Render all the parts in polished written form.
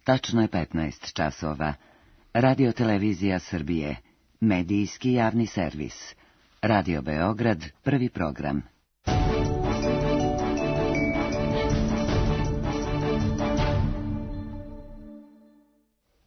Tačno je 15 časova. Radio Televizija Srbije. Medijski javni servis. Radio Beograd, prvi program.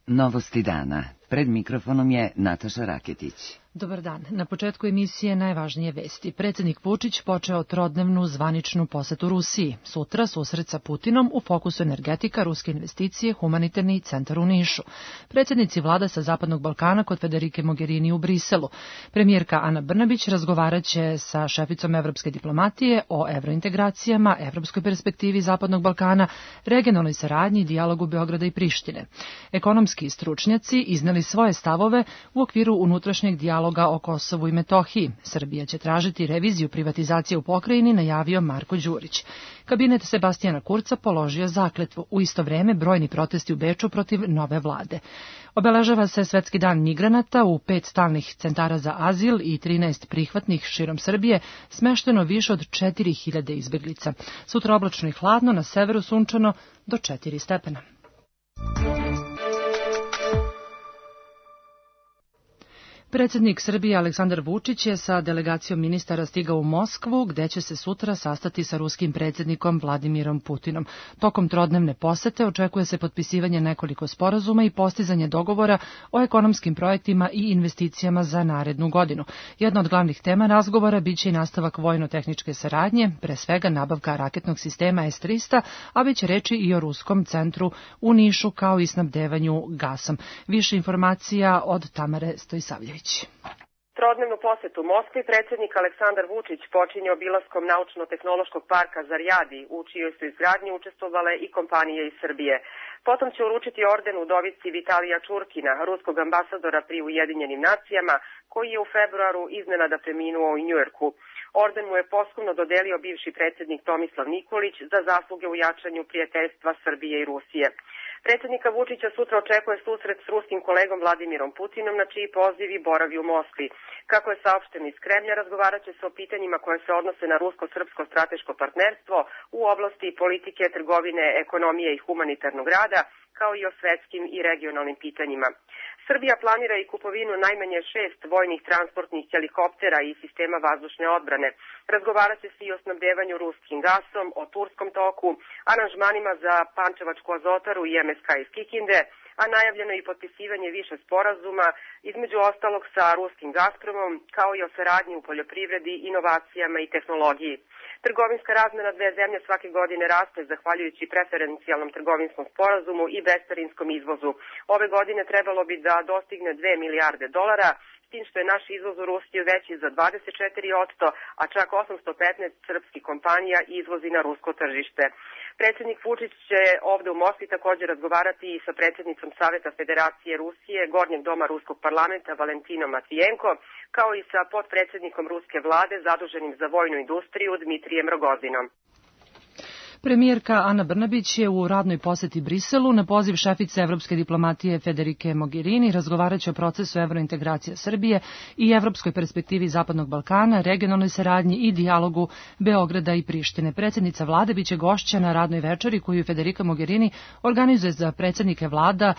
Novosti dana. Pred mikrofonom je Nataša Raketić. Dobar dan. Na početku emisije najvažnije vesti. Predsjednik Vučić počeo trodnevnu zvaničnu posetu Rusiji. Sutra susret sa Putinom, u fokusu energetika, ruske investicije, humanitarni centar u Nišu. Predsjednici vlada sa Zapadnog Balkana kod Federike Mogherini u Briselu. Premijerka Ana Brnabić razgovaraće sa šeficom evropske diplomatije o evrointegracijama, evropskoj perspektivi Zapadnog Balkana, regionalnoj saradnji, dijalogu Beograda i Prištine. Ekonomski stručnjaci izneli svoje stavove u okviru unutrašnjeg dijaloga o Kosovu i Metohiji. Srbija će tražiti reviziju privatizacije u pokrajini, najavio Marko Đurić. Kabinet Sebastijana Kurca položio zakletvu. U isto vreme brojni protesti u Beču protiv nove vlade. Obeležava se Svetski dan migranata, u 5 stalnih centara za azil i 13 prihvatnih širom Srbije smešteno više od 4000 izbeglica. Sutra oblačno i hladno, na severu sunčano do 4 stepena. Predsjednik Srbije Aleksandar Vučić je sa delegacijom ministara stigao u Moskvu, gde će se sutra sastati sa ruskim predsjednikom Vladimirom Putinom. Tokom trodnevne posete očekuje se potpisivanje nekoliko sporazuma i postizanje dogovora o ekonomskim projektima i investicijama za narednu godinu. Jedna od glavnih tema razgovora biće i nastavak vojno-tehničke saradnje, pre svega nabavka raketnog sistema S-300, a biće reči i o ruskom centru u Nišu kao i snabdevanju gasom. Više informacija od Tamare Stojsavljević. Trodnevnu posetu Moskvi predsjednik Aleksandar Vučić počinje obilaskom Naučno-tehnološkog parka Zarjadi, u čijoj su izgradnji učestvovale i kompanije iz Srbije. Potom će uručiti orden udovici Vitalija Čurkina, ruskog ambasadora pri Ujedinjenim nacijama, koji je u februaru iznenada preminuo u Njujorku. Orden mu je posthumno dodelio bivši predsjednik Tomislav Nikolić za zasluge u jačanju prijateljstva Srbije i Rusije. Predsjednika Vučića sutra očekuje susret s ruskim kolegom Vladimirom Putinom, na čiji poziv i boravi u Moskvi. Kako je saopšteno iz Kremlja, razgovarat će se o pitanjima koje se odnose na rusko-srpsko strateško partnerstvo u oblasti politike, trgovine, ekonomije i humanitarnog rada, kao i o svetskim i regionalnim pitanjima. Srbija planira i kupovinu najmanje 6 vojnih transportnih helikoptera i sistema vazdušne odbrane. Razgovarat će se i o snabdevanju ruskim gasom, o Turskom toku, aranžmanima za Pančevačku azotaru i MSK iz Kikinde, a najavljeno je i potpisivanje više sporazuma, između ostalog sa ruskim Gazpromom, kao i o saradnji u poljoprivredi, inovacijama i tehnologiji. Trgovinska razmena dve zemlje svake godine raste zahvaljujući preferencijalnom trgovinskom sporazumu i bescarinskom izvozu. Ove godine trebalo bi da dostigne 2 milijarde dolara, s tim što je naš izvoz u Rusiju veći za 24%, a čak 815 srpskih kompanija izvozi na rusko tržište. Predsjednik Vučić će ovde u Moskvi također razgovarati i sa predsjednicom Saveta Federacije Rusije, Gornjeg doma Ruskog parlamenta Valentinom Matvijenko, kao i sa potpredsjednikom ruske vlade zaduženim za vojnu industriju Dmitrijem Rogozinom. Premijerka Ana Brnabić je u radnoj poseti Briselu na poziv šefice evropske diplomatije Federike Mogherini razgovaraće o procesu evrointegracija Srbije i evropskoj perspektivi Zapadnog Balkana, regionalnoj saradnji i dijalogu Beograda i Prištine. Predsjednica vlade biće gošća na radnoj večeri koju Federika Mogherini organizuje za predsjednike vlada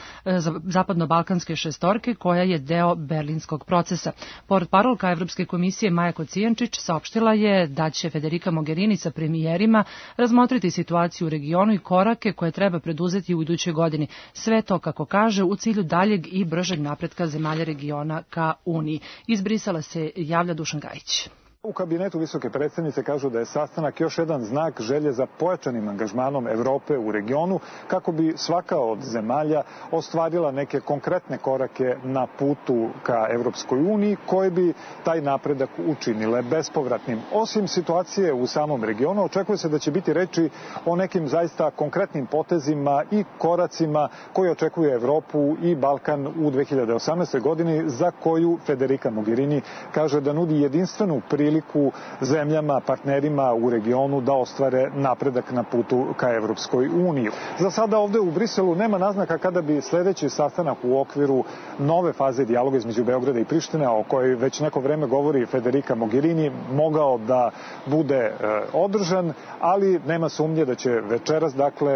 Zapadno-balkanske šestorke, koja je deo berlinskog procesa. Portparolka Evropske komisije Maja Kocijančić saopštila je da će Federika Mogherini sa premijerima razmotriti situaciju u regionu i korake koje treba preduzeti u idućoj godini. Sve to, kako kaže, u cilju daljeg i bržeg napretka zemalja regiona ka Uniji. Iz Brisela se javlja Dušan Gajić. U kabinetu visoke predsjednice kažu da je sastanak još jedan znak želje za pojačanim angažmanom Evrope u regionu, kako bi svaka od zemalja ostvarila neke konkretne korake na putu ka Evropskoj uniji, koje bi taj napredak učinile bespovratnim. Osim situacije u samom regionu, očekuje se da će biti reči o nekim zaista konkretnim potezima i koracima koji očekuje Evropu i Balkan u 2018. godini, za koju Federica Mogherini kaže da nudi jedinstvenu priliku priliku zemljama, partnerima u regionu da ostvare napredak na putu ka Evropskoj uniji. Za sada ovde u Briselu nema naznaka kada bi sledeći sastanak u okviru nove faze dijaloga između Beograda i Prištine, o kojoj već neko vreme govori Federica Mogherini, mogao da bude održan, ali nema sumnje da će večeras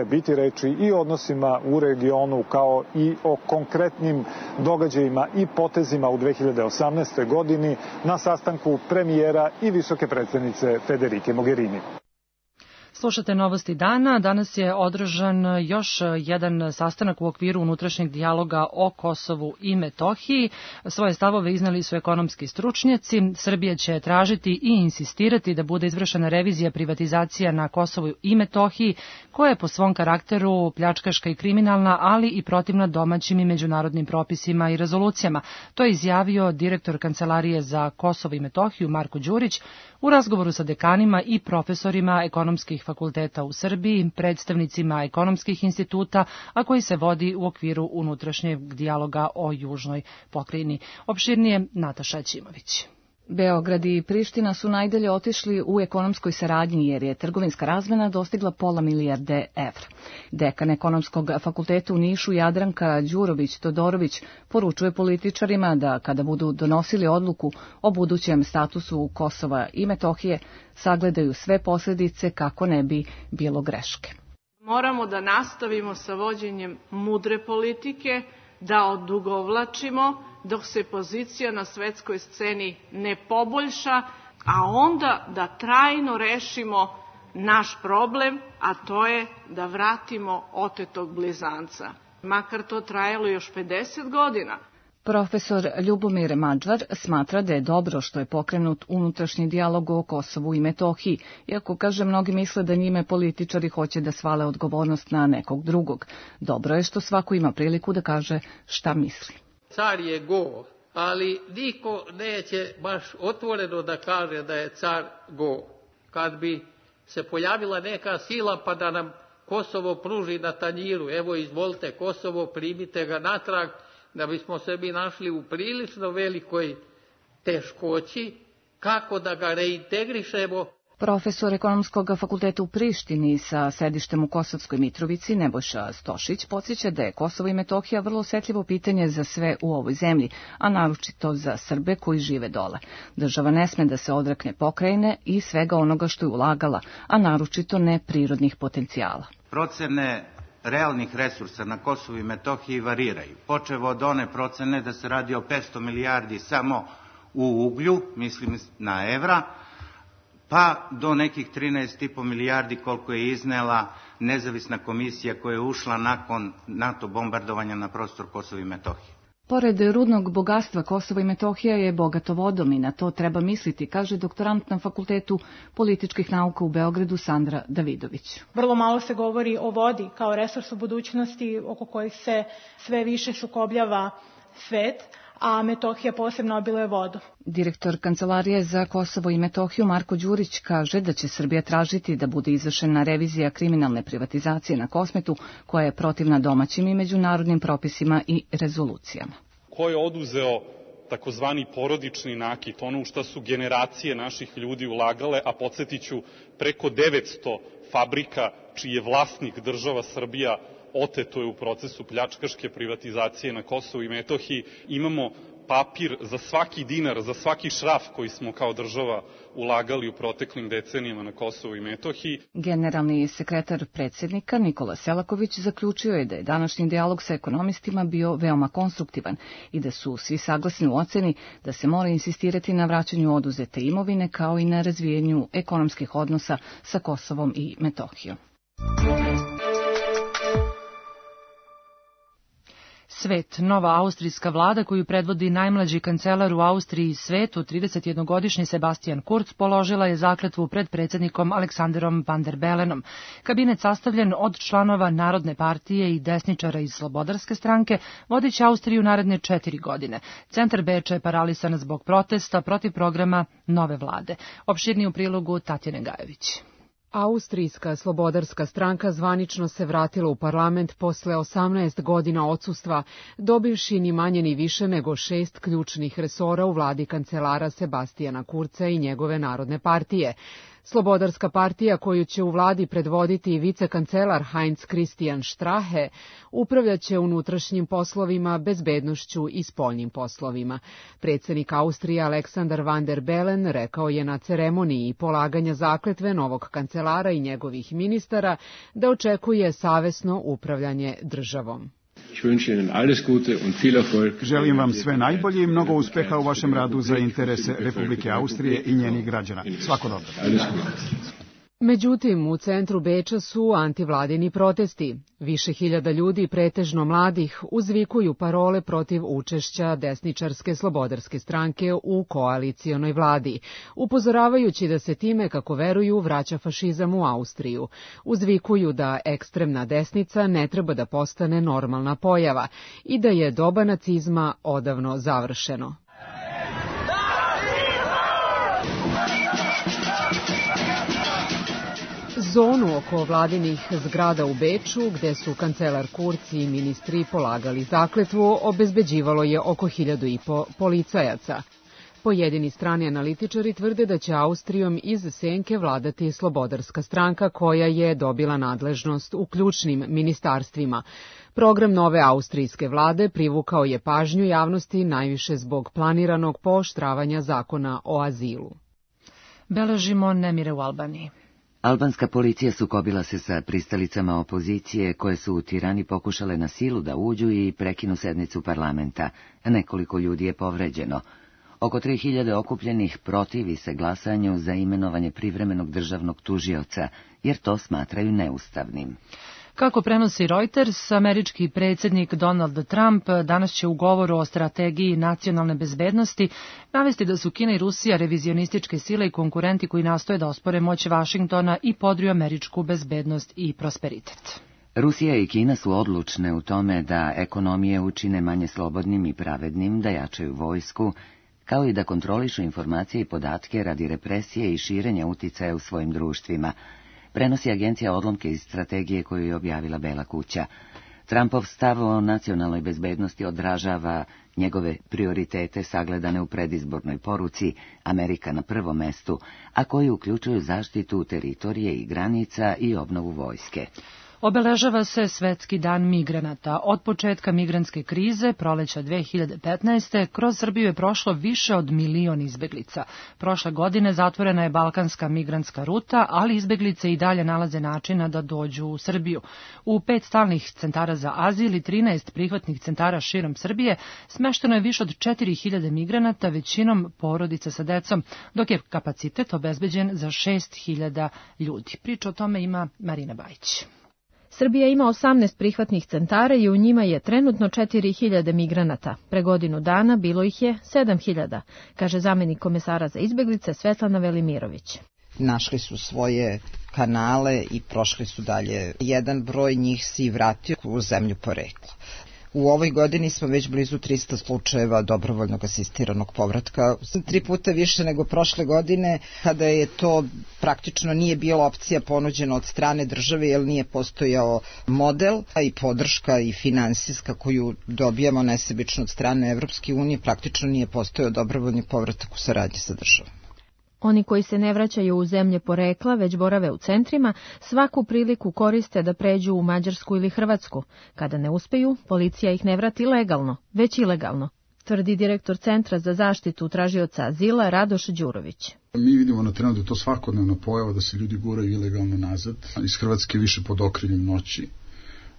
biti reči i o odnosima u regionu kao i o konkretnim događajima i potezima u 2018. godini na sastanku premijera i visoke predstavnice Federike Mogherini. Slušate Novosti dana. Danas je održan još jedan sastanak u okviru unutrašnjeg dijaloga o Kosovu i Metohiji. Svoje stavove iznali su ekonomski stručnjaci. Srbija će tražiti i insistirati da bude izvršena revizija privatizacija na Kosovu i Metohiji, koja je po svom karakteru pljačkaška i kriminalna, ali i protivna domaćim i međunarodnim propisima i rezolucijama. To je izjavio direktor Kancelarije za Kosovo i Metohiju Marko Đurić u razgovoru sa dekanima i profesorima ekonomskih fakulteta u Srbiji, predstavnicima ekonomskih instituta, a koji se vodi u okviru unutrašnjeg dijaloga o južnoj pokrajini. Opširnije Nataša Ćimović. Beograd i Priština su najdalje otišli u ekonomskoj saradnji jer je trgovinska razmena dostigla $500 milijarde evra. Dekan ekonomskog fakulteta u Nišu Jadranka Đurović-Todorović poručuje političarima da kada budu donosili odluku o budućem statusu Kosova i Metohije, sagledaju sve posljedice kako ne bi bilo greške. Moramo da nastavimo sa vođenjem mudre politike, da odugovlačimo dok se pozicija na svetskoj sceni ne poboljša, a onda da trajno rešimo naš problem, a to je da vratimo otetog blizanca. Makar to trajalo još 50 godina. Profesor Ljubomir Mađvar smatra da je dobro što je pokrenut unutrašnji dijalog o Kosovu i Metohiji, iako, kaže, mnogi misle da njime političari hoće da svale odgovornost na nekog drugog. Dobro je što svako ima priliku da kaže šta misli. Car je go, ali niko neće baš otvoreno da kaže da je car go. Kad bi se pojavila neka sila pa da nam Kosovo pruži na tanjiru, evo izvolite Kosovo, primite ga natrag, da bismo se mi našli u prilično velikoj teškoći, kako da ga reintegrišemo. Profesor ekonomskog fakulteta u Prištini sa sedištem u Kosovskoj Mitrovici Nebojša Stošić podsjeća da je Kosovo i Metohija vrlo osetljivo pitanje za sve u ovoj zemlji, a naročito za Srbe koji žive dole. Država ne sme da se odrekne pokrajine i svega onoga što je ulagala, a naročito ne prirodnih potencijala. Procene realnih resursa na Kosovu i Metohiji variraju. Počev od one procene da se radi o 500 milijardi samo u uglju, mislim na evra, pa do nekih 13,5 milijardi koliko je iznela nezavisna komisija koja je ušla nakon NATO bombardovanja na prostor Kosova i Metohije. Pored rudnog bogatstva, Kosovo i Metohija je bogato vodom i na to treba misliti, kaže doktorant na Fakultetu političkih nauka u Beogradu Sandra Davidović. Vrlo malo se govori o vodi kao resursu budućnosti oko kojih se sve više sukobljava svet, a Metohija posebno obiluje vodu. Direktor Kancelarije za Kosovo i Metohiju Marko Đurić kaže da će Srbija tražiti da bude izvršena revizija kriminalne privatizacije na Kosmetu, koja je protivna domaćim i međunarodnim propisima i rezolucijama. Ko je oduzeo takozvani porodični nakit, ono u šta su generacije naših ljudi ulagale, a podsjetiću preko 900 fabrika čiji je vlasnik država Srbija oteto je u procesu pljačkaške privatizacije na Kosovu i Metohiji. Imamo papir za svaki dinar, za svaki šraf koji smo kao država ulagali u proteklim decenijama na Kosovu i Metohiji. Generalni sekretar predsjednika Nikola Selaković zaključio je da je današnji dijalog sa ekonomistima bio veoma konstruktivan i da su svi saglasni u oceni da se mora insistirati na vraćanju oduzete imovine kao i na razvijenju ekonomskih odnosa sa Kosovom i Metohijom. Svet, nova austrijska vlada koju predvodi najmlađi kancelar u Austriji i svetu, 31-godišnji Sebastian Kurz, položila je zakletvu pred predsjednikom Aleksanderom Van der Belenom. Kabinet sastavljen od članova Narodne partije i desničara iz Slobodarske stranke vodiće Austriju naredne 4 godine. Centar Beča je paralisan zbog protesta protiv programa nove vlade. Opširnije u prilogu Tatjane Gajević. Austrijska slobodarska stranka zvanično se vratila u parlament posle 18 godina odsustva, dobivši ni manje ni više nego 6 ključnih resora u vladi kancelara Sebastijana Kurca i njegove Narodne partije. Slobodarska partija, koju će u vladi predvoditi vicekancelar Heinz Christian Strache, upravljaće unutrašnjim poslovima, bezbednošću i spoljnim poslovima. Predsjednik Austrije Alexander Van der Bellen rekao je na ceremoniji polaganja zakletve novog kancelara i njegovih ministara da očekuje savesno upravljanje državom. Želim vam sve najbolje i mnogo uspeha u vašem radu za interese Republike Austrije i njenih građana. Svako dobro. Međutim, u centru Beča su antivladini protesti. Više hiljada ljudi, pretežno mladih, uzvikuju parole protiv učešća desničarske slobodarske stranke u koalicionoj vladi, upozoravajući da se time, kako veruju, vraća fašizam u Austriju. Uzvikuju da ekstremna desnica ne treba da postane normalna pojava i da je doba nacizma odavno završeno. Zonu oko vladinih zgrada u Beču, gde su kancelar Kurz i ministri polagali zakletvu, obezbeđivalo je oko 1.500 policajaca. Pojedini strani analitičari tvrde da će Austrijom iz senke vladati slobodarska stranka koja je dobila nadležnost u ključnim ministarstvima. Program nove austrijske vlade privukao je pažnju javnosti najviše zbog planiranog pooštravanja zakona o azilu. Beležimo nemire u Albaniji. Albanska policija sukobila se sa pristalicama opozicije koje su u Tirani pokušale na silu da uđu i prekinu sednicu parlamenta. Nekoliko ljudi je povređeno. Oko 3000 okupljenih protivi se glasanju za imenovanje privremenog državnog tužioca, jer to smatraju neustavnim. Kako prenosi Reuters, američki predsjednik Donald Trump danas će u govoru o strategiji nacionalne bezbednosti navesti da su Kina i Rusija revizionističke sile i konkurenti koji nastoje da ospore moć Vašingtona i podriju američku bezbednost i prosperitet. Rusija i Kina su odlučne u tome da ekonomije učine manje slobodnim i pravednim, da jačaju vojsku, kao i da kontrolišu informacije i podatke radi represije i širenja uticaja u svojim društvima. Prenosi agencija odlomke iz strategije koju je objavila Bela kuća. Trumpov stav o nacionalnoj bezbednosti odražava njegove prioritete sagledane u predizbornoj poruci Amerika na prvom mestu, a koji uključuju zaštitu teritorije i granica i obnovu vojske. Obeležava se Svetski dan migranata. Od početka migrantske krize, proleća 2015. kroz Srbiju je prošlo više od 1 milion izbeglica. Prošle godine zatvorena je balkanska migrantska ruta, ali izbeglice i dalje nalaze načina da dođu u Srbiju. U 5 stalnih centara za azil i 13 prihvatnih centara širom Srbije smešteno je više od 4000 migranata, većinom porodica sa decom, dok je kapacitet obezbeđen za 6000 ljudi. Priča o tome ima Marina Bajić. Srbija ima 18 prihvatnih centara i u njima je trenutno 4000 migranata. Pre godinu dana bilo ih je 7000, kaže zamenik komesara za izbeglice Svetlana Velimirović. Našli su svoje kanale i prošli su dalje. Jedan broj njih se vratio u zemlju porekla. U ovoj godini smo već blizu 300 slučajeva dobrovoljnog asistiranog povratka. 3 puta više nego prošle godine, kada je to praktično nije bila opcija ponuđena od strane države, jer nije postojao model i podrška i finansijska koju dobijamo nesebično od strane Evropske unije, praktično nije postojao dobrovoljni povratak u saradnji sa državom. Oni koji se ne vraćaju u zemlje porekla, već borave u centrima, svaku priliku koriste da pređu u Mađarsku ili Hrvatsku. Kada ne uspeju, policija ih ne vrati legalno, već ilegalno, tvrdi direktor Centra za zaštitu tražioca azila Radoš Đurović. Mi vidimo na terenu da je to svakodnevna pojava, da se ljudi guraju ilegalno nazad, iz Hrvatske više pod okriljem noći,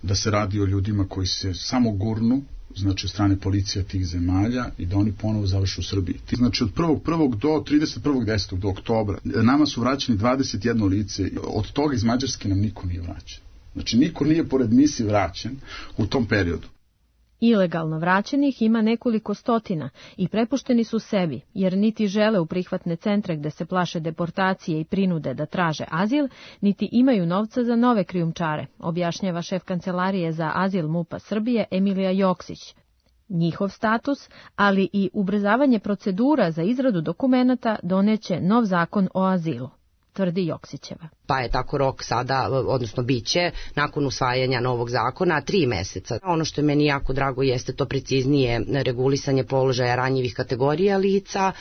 da se radi o ljudima koji se samo gurnu, znači od strane policija tih zemalja i da oni ponovo završu u Srbiji. Znači od 1.1. do 31.10. do oktobra nama su vraćeni 21 lice, od toga iz Mađarske nam niko nije vraćen. Znači niko nije pored misije vraćen u tom periodu. Ilegalno vraćenih ima nekoliko stotina i prepušteni su sebi, jer niti žele u prihvatne centre gde se plaše deportacije i prinude da traže azil, niti imaju novca za nove krijumčare, objašnjava šef kancelarije za azil MUP-a Srbije Emilija Joksić. Njihov status, ali i ubrzavanje procedura za izradu dokumenata doneće nov zakon o azilu. tvrdi Joksićeva. Pa je tako rok sada, odnosno biće, nakon usvajanja novog zakona, 3 meseca. Ono što je meni jako drago jeste to preciznije regulisanje položaja ranjivih kategorija lica.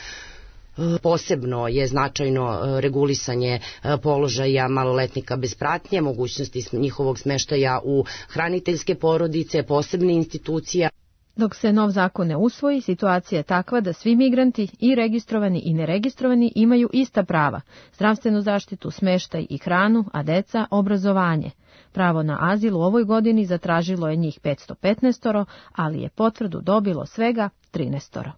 Posebno je značajno regulisanje položaja maloletnika bez pratnje, mogućnosti njihovog smeštaja u hraniteljske porodice, posebne institucije. Dok se nov zakon ne usvoji, situacija je takva da svi migranti, i registrovani i neregistrovani, imaju ista prava, zdravstvenu zaštitu, smeštaj i hranu, a deca obrazovanje. Pravo na azil u ovoj godini zatražilo je njih 515, ali je potvrdu dobilo svega 13.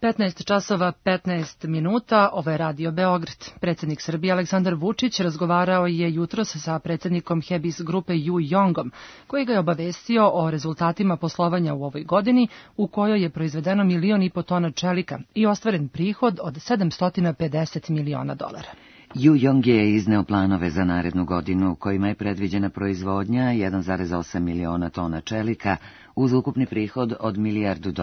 15 časova 15 minuta, ovo je Radio Beograd. Predsjednik Srbije Aleksandar Vučić razgovarao je jutros sa predsjednikom Hebis grupe Yu Yongom, koji ga je obavestio o rezultatima poslovanja u ovoj godini, u kojoj je proizvedeno 1,5 miliona tona čelika i ostvaren prihod od $750 miliona. Yu Yong je izneo planove za narednu godinu, kojima je predviđena proizvodnja 1,8 miliona tona čelika uz ukupni prihod od $1 milijardu.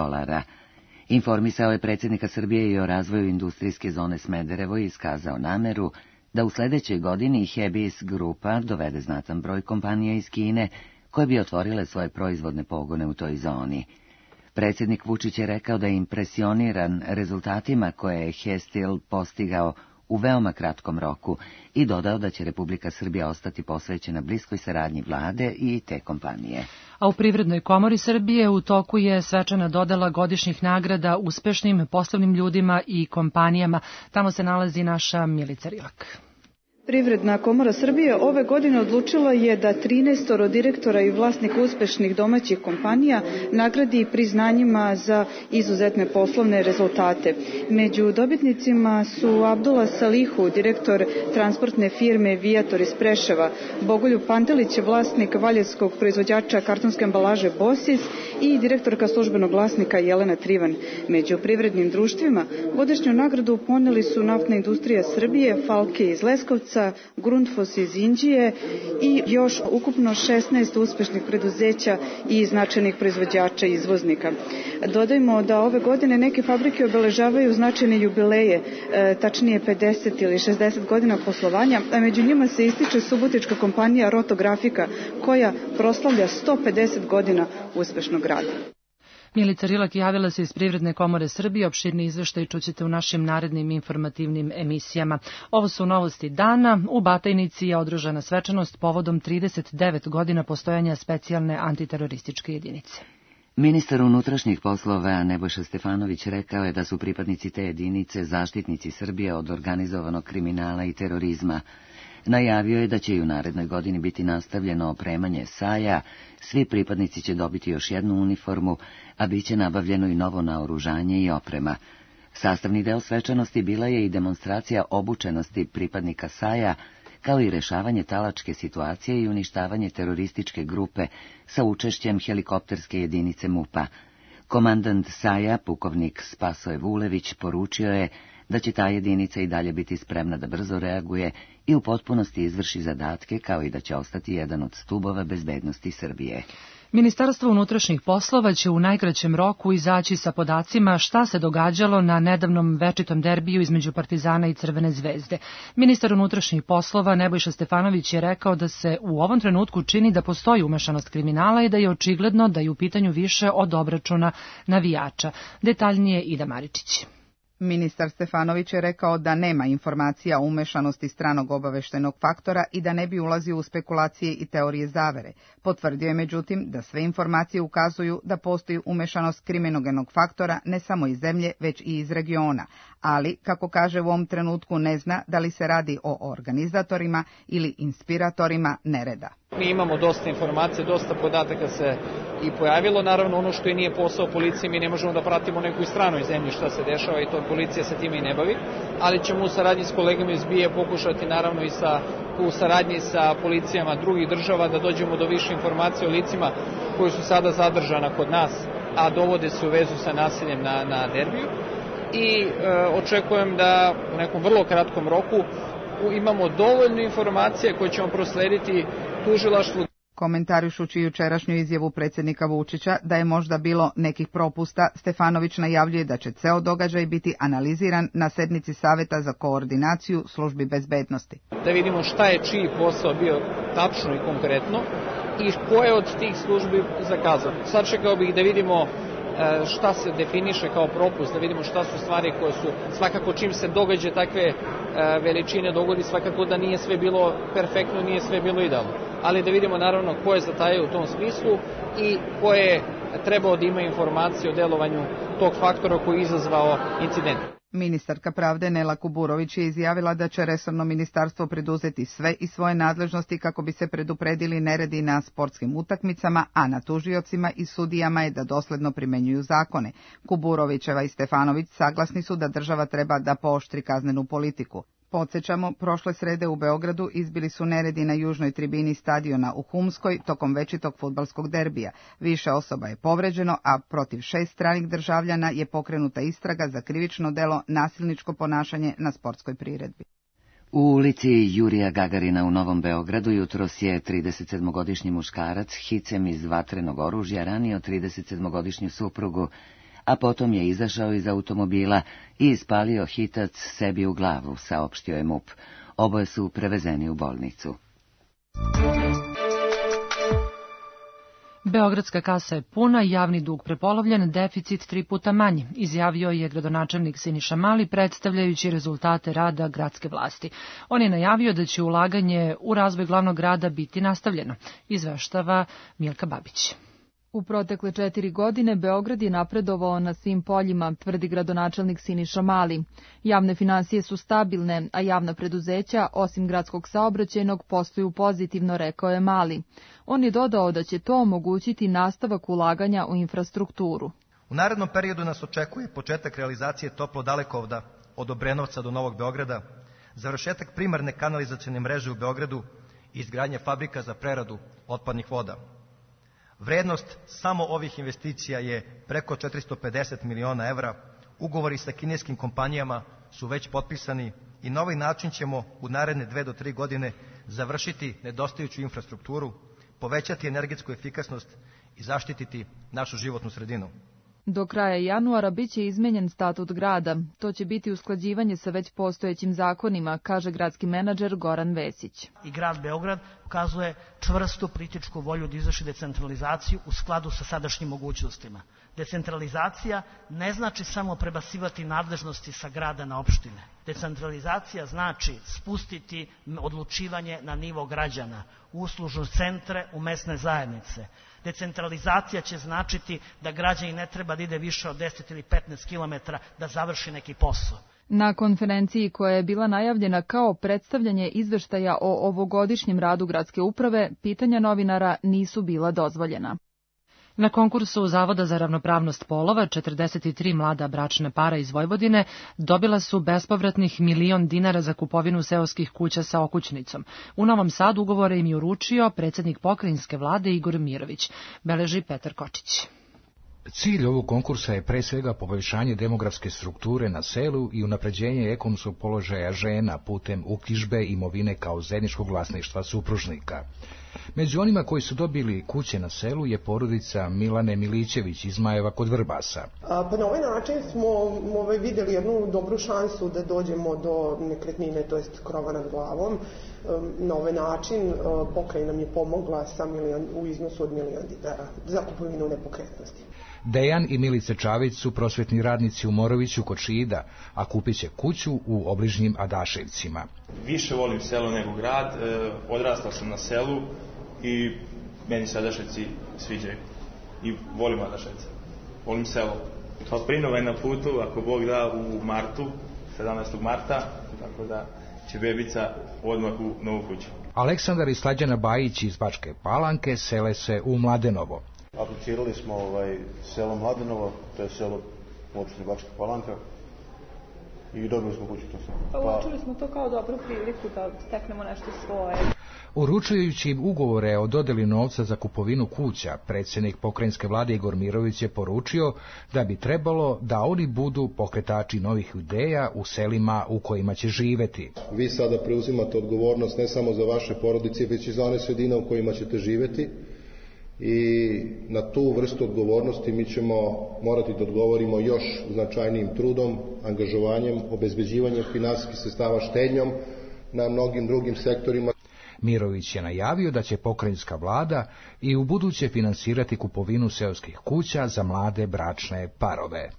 Informisao je predsjednika Srbije i o razvoju industrijske zone Smederevo i iskazao nameru da u sljedećoj godini Hebis grupa dovede znatan broj kompanija iz Kine koje bi otvorile svoje proizvodne pogone u toj zoni. Predsjednik Vučić je rekao da je impresioniran rezultatima koje je Hestil postigao u veoma kratkom roku i dodao da će Republika Srbija ostati posvećena bliskoj saradnji vlade i te kompanije. A u Privrednoj komori Srbije u toku je svečana dodela godišnjih nagrada uspešnim poslovnim ljudima i kompanijama. Tamo se nalazi naša Milica Rilak. Privredna komora Srbije ove godine odlučila je da 13 direktora i vlasnika uspešnih domaćih kompanija nagradi priznanjima za izuzetne poslovne rezultate. Među dobitnicima su Abdullah Salihu, direktor transportne firme Viator iz Preševa, Bogoljub Pantelić, vlasnik valjevskog proizvođača kartonske ambalaže Bosis i direktorka službenog glasnika Jelena Trivan. Među privrednim društvima godišnju nagradu poneli su Naftna industrija Srbije, Falke iz Leskovca, Grundfos iz Inđije i još ukupno 16 uspešnih preduzeća i značajnih proizvođača i izvoznika. Dodajmo da ove godine neke fabrike obeležavaju značajne jubileje, tačnije 50 ili 60 godina poslovanja, a među njima se ističe subotička kompanija Rotografika, koja proslavlja 150 godina uspešnog rada. Milica Rilak javila se iz Privredne komore Srbije, opširni izveštaj čućete u našim narednim informativnim emisijama. Ovo su novosti dana. U Batajnici je održana svečanost povodom 39 godina postojanja specijalne antiterorističke jedinice. Ministar unutrašnjih poslova Nebojša Stefanović rekao je da su pripadnici te jedinice zaštitnici Srbije od organizovanog kriminala i terorizma. Najavio je da će i u narednoj godini biti nastavljeno opremanje SAJ-a, svi pripadnici će dobiti još jednu uniformu, a bit će nabavljeno i novo naoružanje i oprema. Sastavni deo svečanosti bila je i demonstracija obučenosti pripadnika SAJ-a, kao i rešavanje talačke situacije i uništavanje terorističke grupe sa učešćem helikopterske jedinice MUP-a. Komandant SAJ-a, pukovnik Spasoje Vulević, poručio je da će ta jedinica i dalje biti spremna da brzo reaguje i u potpunosti izvrši zadatke, kao i da će ostati jedan od stubova bezbednosti Srbije. Ministarstvo unutrašnjih poslova će u najkraćem roku izaći sa podacima šta se događalo na nedavnom večitom derbiju između Partizana i Crvene zvezde. Ministar unutrašnjih poslova Nebojša Stefanović je rekao da se u ovom trenutku čini da postoji umešanost kriminala i da je očigledno da je u pitanju više od obračuna navijača. Detaljnije Ida Maričić. Ministar Stefanović je rekao da nema informacija o umešanosti stranog obaveštajnog faktora i da ne bi ulazio u spekulacije i teorije zavere. Potvrdio je međutim da sve informacije ukazuju da postoji umešanost kriminogenog faktora ne samo iz zemlje, već i iz regiona, ali, kako kaže, u ovom trenutku ne zna da li se radi o organizatorima ili inspiratorima nereda. Mi imamo dosta informacija, dosta podataka se i pojavilo. Naravno, ono što i nije posao policije, mi ne možemo da pratimo nekoj stranoj zemlji šta se dešava i to policija se time i ne bavi, ali ćemo u saradnji s kolegama iz BIA pokušati naravno i u saradnji sa policijama drugih država da dođemo do više informacija o licima koji su sada zadržana kod nas, a dovode se u vezu sa nasiljem na derbiju. I očekujem da u nekom vrlo kratkom roku imamo dovoljno informacije koje ćemo proslediti tužilaštvu. Komentarišući jučerašnju izjavu predsjednika Vučića da je možda bilo nekih propusta, Stefanović najavljuje da će ceo događaj biti analiziran na sednici Saveta za koordinaciju službi bezbednosti. Da vidimo šta je čiji posao bio tačno i konkretno i ko je od tih službi zakazao. Sačekao bih da vidimo šta se definiše kao propust, da vidimo šta su stvari koje su, svakako čim se događa takve veličine dogodi, svakako da nije sve bilo perfektno, nije sve bilo idealno. Ali da vidimo naravno ko je zatajao u tom smislu i ko je trebao da ima informacije o delovanju tog faktora koji je izazvao incident. Ministarka pravde Nela Kuburović je izjavila da će resorno ministarstvo preduzeti sve iz svoje nadležnosti kako bi se predupredili neredi na sportskim utakmicama, a na tužiocima i sudijama je da dosledno primenjuju zakone. Kuburovićeva i Stefanović saglasni su da država treba da pooštri kaznenu politiku. Podsjećamo, prošle srede u Beogradu izbili su neredi na južnoj tribini stadiona u Humskoj tokom večitog fudbalskog derbija. Više osoba je povređeno, a protiv 6 stranih državljana je pokrenuta istraga za krivično delo nasilničko ponašanje na sportskoj priredbi. U ulici Jurija Gagarina u Novom Beogradu jutros je 37-godišnji muškarac hicem iz vatrenog oružja ranio 37-godišnju suprugu, a potom je izašao iz automobila i ispalio hitac sebi u glavu, saopštio je MUP. Oboje su prevezeni u bolnicu. Beogradska kasa je puna, javni dug prepolovljen, deficit 3 puta manji, izjavio je gradonačelnik Siniša Mali predstavljajući rezultate rada gradske vlasti. On je najavio da će ulaganje u razvoj glavnog grada biti nastavljeno, izveštava Milka Babić. U protekle 4 godine Beograd je napredovao na svim poljima, tvrdi gradonačelnik Siniša Mali. Javne finansije su stabilne, a javna preduzeća, osim gradskog saobraćajnog, posluju pozitivno, rekao je Mali. On je dodao da će to omogućiti nastavak ulaganja u infrastrukturu. U narednom periodu nas očekuje početak realizacije toplo-dalekovoda od Obrenovca do Novog Beograda, završetak primarne kanalizacione mreže u Beogradu i izgradnja fabrika za preradu otpadnih voda. Vrednost samo ovih investicija je preko 450 miliona evra, ugovori sa kineskim kompanijama su već potpisani i na ovaj način ćemo u naredne 2 do 3 godine završiti nedostajuću infrastrukturu, povećati energetsku efikasnost i zaštititi našu životnu sredinu. Do kraja januara biće izmenjen statut grada. To će biti usklađivanje sa već postojećim zakonima, kaže gradski menadžer Goran Vesić. I grad Beograd ukazuje čvrstu političku volju da izvrši decentralizaciju u skladu sa sadašnjim mogućnostima. Decentralizacija ne znači samo prebacivati nadležnosti sa grada na opštine. Decentralizacija znači spustiti odlučivanje na nivo građana, uslužne centre u mesne zajednice. Decentralizacija će značiti da građani ne treba da ide više od 10 ili 15 kilometara da završi neki posao. Na konferenciji koja je bila najavljena kao predstavljanje izveštaja o ovogodišnjem radu gradske uprave, pitanja novinara nisu bila dozvoljena. Na konkursu Zavoda za ravnopravnost polova 43 mlada bračna para iz Vojvodine dobila su bespovratnih 1 milion dinara za kupovinu seoskih kuća sa okućnicom. U Novom Sadu ugovore im je uručio predsjednik pokrajinske vlade Igor Mirović, beleži Petar Kočić. Cilj ovog konkursa je pre svega poboljšanje demografske strukture na selu i unapređenje ekonomskog položaja žena putem uknjižbe imovine kao zajedničkog vlasništva supružnika. Među onima koji su dobili kuće na selu je porodica Milane Milićević iz Majeva kod Vrbasa. Pa na ovaj način smo vidjeli jednu dobru šansu da dođemo do nekretnine, to jest krova nad glavom. Na ovaj način pokrajina nam je pomogla u iznosu od 1 milion dinara za kupovinu nepokretnosti. Dejan i Milice Čavić su prosvetni radnici u Moroviću kod Šida, a kupit će kuću u obližnjim Adaševcima. Više volim selo nego grad, odrastao sam na selu i meni se Adaševci sviđaju i volim Adaševce, volim selo. Prinova je na putu, ako Bog da, u martu, 17. marta, tako da će bebica odmah u novu kuću. Aleksandar i Slađana Bajić iz Bačke Palanke sele se u Mladenovo. Aplicirali smo selo Mladenovo, to je selo u opštini Bačka Palanka. i dobili smo kuću, to sam. Pa učili smo to kao dobru priliku da steknemo nešto svoje. Uručujući im ugovore o dodeli novca za kupovinu kuća, predsjednik pokrajinske vlade Igor Mirović je poručio da bi trebalo da oni budu pokretači novih ideja u selima u kojima će živeti. Vi sada preuzimate odgovornost ne samo za vaše porodice, već i za one sredine u kojima ćete živeti i na tu vrstu odgovornosti mi ćemo morati da odgovorimo još značajnijim trudom, angažovanjem, obezbeđivanjem finansijskih sredstava, štednjom na mnogim drugim sektorima. Mirović je najavio da će pokrajinska vlada i u buduće finansirati kupovinu seoskih kuća za mlade bračne parove.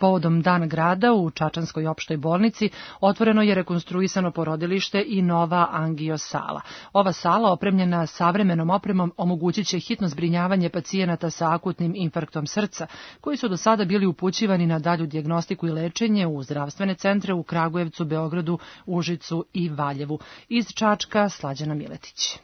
Povodom Dan grada u Čačanskoj opštoj bolnici otvoreno je rekonstruisano porodilište i nova angio sala. Ova sala, opremljena savremenom opremom, omogućit će hitno zbrinjavanje pacijenata sa akutnim infarktom srca, koji su do sada bili upućivani na dalju dijagnostiku i lečenje u zdravstvene centre u Kragujevcu, Beogradu, Užicu i Valjevu. Iz Čačka, Slađana Miletić.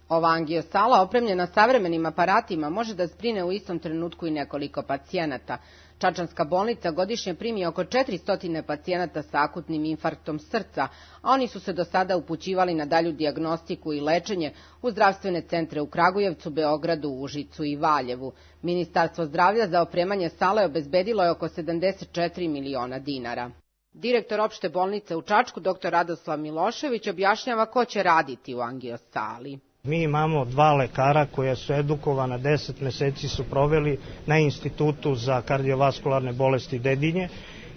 Ova angio sala, opremljena savremenim aparatima, može da zbrine u istom trenutku i nekoliko pacijenata. Čačanska bolnica godišnje primi oko 400 pacijenata sa akutnim infarktom srca, a oni su se do sada upućivali na dalju dijagnostiku i lečenje u zdravstvene centre u Kragujevcu, Beogradu, Užicu i Valjevu. Ministarstvo zdravlja za opremanje sale obezbedilo je oko 74 miliona dinara. Direktor opšte bolnice u Čačku, dr. Radoslav Milošević, objašnjava ko će raditi u angio sali. Mi imamo 2 lekara koja su edukovana, 10 meseci su proveli na Institutu za kardiovaskularne bolesti Dedinje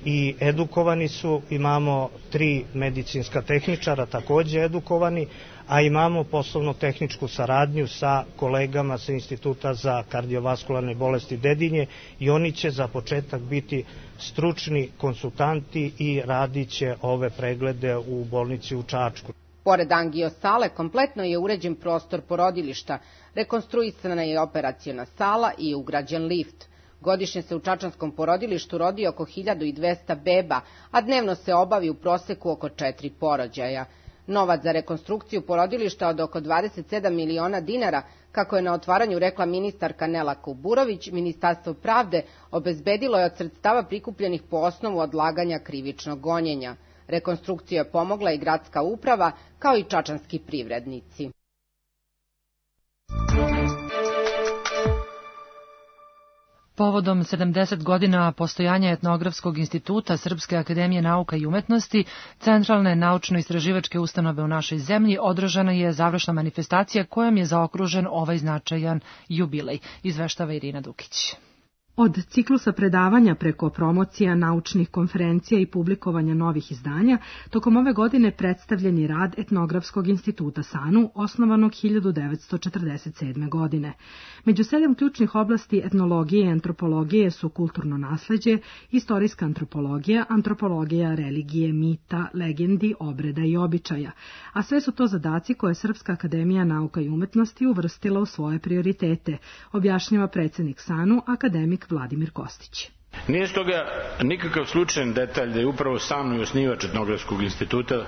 i edukovani su, imamo 3 medicinska tehničara takođe edukovani, a imamo poslovno-tehničku saradnju sa kolegama sa Instituta za kardiovaskularne bolesti Dedinje i oni će za početak biti stručni konsultanti i radit će ove preglede u bolnici u Čačku. Pored angio sale, kompletno je uređen prostor porodilišta, rekonstruisana je operaciona sala i ugrađen lift. Godišnje se u čačanskom porodilištu rodi oko 1200 beba, a dnevno se obavi u proseku oko 4 porođaja. Novac za rekonstrukciju porodilišta od oko 27 miliona dinara, kako je na otvaranju rekla ministarka Nela Kuburović, Ministarstvo pravde obezbedilo je od sredstava prikupljenih po osnovu odlaganja krivičnog gonjenja. Rekonstrukciju je pomogla i gradska uprava, kao i čačanski privrednici. Povodom 70 godina postojanja Etnografskog instituta Srpske akademije nauka i umetnosti, centralne naučno-istraživačke ustanove u našoj zemlji, održana je završna manifestacija kojom je zaokružen ovaj značajan jubilej, izveštava Irina Dukić. Od ciklusa predavanja preko promocija, naučnih konferencija i publikovanja novih izdanja, tokom ove godine predstavljen je rad Etnografskog instituta SANU, osnovanog 1947. godine. Među 7 ključnih oblasti etnologije i antropologije su kulturno nasleđe, istorijska antropologija, antropologija religije, mita, legendi, obreda i običaja, a sve su to zadaci koje Srpska akademija nauka i umetnosti uvrstila u svoje prioritete, objašnjava predsjednik SANU, akademik Vladimir Kostić. Nije stoga nikakav slučajan detalj da je upravo SANU i osnivač Etnografskog instituta,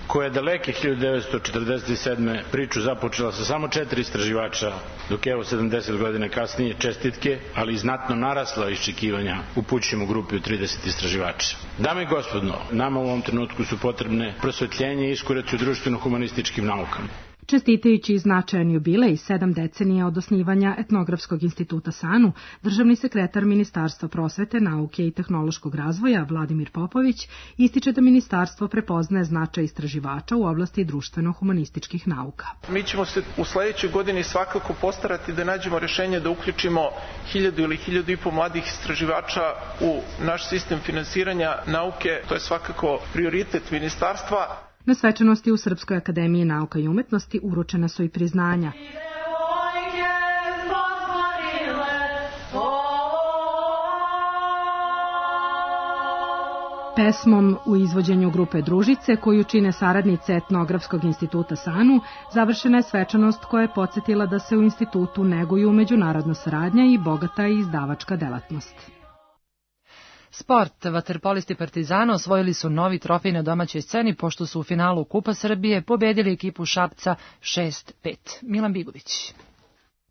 koja je daleke 1947. priču započela sa samo 4 istraživača, dok evo 70 godina kasnije čestitke, ali i znatno narasla iščekivanja upućujemo grupi od 30 istraživača. Dame i gospodo, nama u ovom trenutku su potrebne prosvetljenje i iskoraci u društveno-humanističkim naukama. Čestitajući značajan jubilej 7 decenija od osnivanja Etnografskog instituta SANU, državni sekretar Ministarstva prosvete, nauke i tehnološkog razvoja Vladimir Popović ističe da ministarstvo prepoznaje značaj istraživača u oblasti društveno-humanističkih nauka. Mi ćemo se u sledećoj godini svakako postarati da nađemo rešenje da uključimo 1000 ili 1500 mladih istraživača u naš sistem finansiranja nauke. To je svakako prioritet ministarstva. Na svečanosti u Srpskoj akademiji nauka i umetnosti uručena su i priznanja. Pesmom u izvođenju grupe Družice, koju čine saradnice Etnografskog instituta SANU, završena je svečanost koja je podsjetila da se u institutu neguju međunarodna saradnja i bogata izdavačka delatnost. Sport. Vaterpolisti Partizana osvojili su novi trofej na domaćoj sceni pošto su u finalu Kupa Srbije pobedili ekipu Šapca 6-5. Milan Bigović.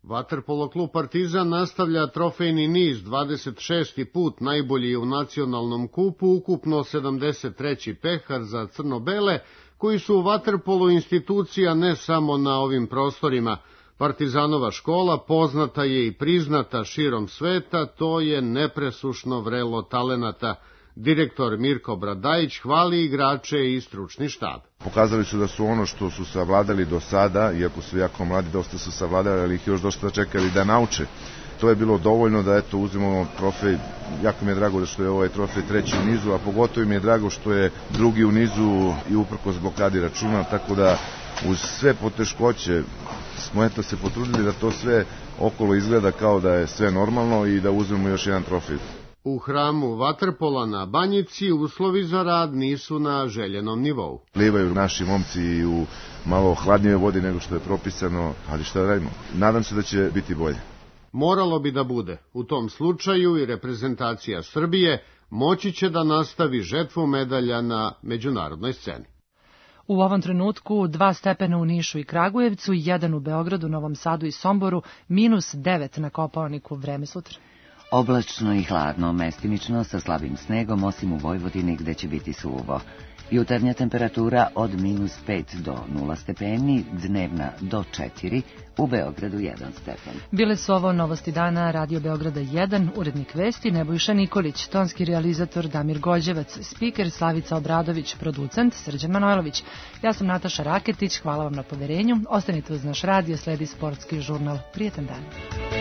Vaterpolo klub Partizan nastavlja trofejni niz, 26. put najbolji u nacionalnom kupu, ukupno 73. pehar za crno-bele, koji su u vaterpolu institucija ne samo na ovim prostorima. Partizanova škola poznata je i priznata širom sveta, to je nepresušno vrelo talenata. Direktor Mirko Bradajić hvali igrače i stručni štab. Pokazali su da su ono što su savladali do sada, iako su jako mladi, dosta su savladali, ali ih još dosta čekali da nauče. To je bilo dovoljno da uzmemo trofej. Jako mi je drago da što je ovaj trofej treći u nizu, a pogotovo mi je drago što je drugi u nizu i uprkos blokadi računa, tako da uz sve poteškoće smo se potrudili da to sve okolo izgleda kao da je sve normalno i da uzmemo još jedan trofej. U hramu vaterpola na Banjici uslovi za rad nisu na željenom nivou. Plivaju naši momci i u malo hladnijoj vodi nego što je propisano, ali šta radimo? Nadam se da će biti bolje. Moralo bi da bude. U tom slučaju i reprezentacija Srbije moći će da nastavi žetvu medalja na međunarodnoj sceni. U ovom trenutku 2 stepena u Nišu i Kragujevcu, 1 u Beogradu, Novom Sadu i Somboru, -9 na Kopaoniku. Vreme sutra. Oblačno i hladno, mestimično sa slabim snegom, osim u Vojvodini gde će biti suvo. Jutarnja temperatura od -5 do 0 stepeni, dnevna do 4, u Beogradu 1 stepen. Bile su ovo novosti dana Radio Beograda 1, urednik vesti Nebojša Nikolić, tonski realizator Damir Gođevac, spiker Slavica Obradović, producent Srđan Manojlović. Ja sam Nataša Raketić, hvala vam na poverenju. Ostanite uz naš radio, sledi sportski žurnal. Prijetan dan.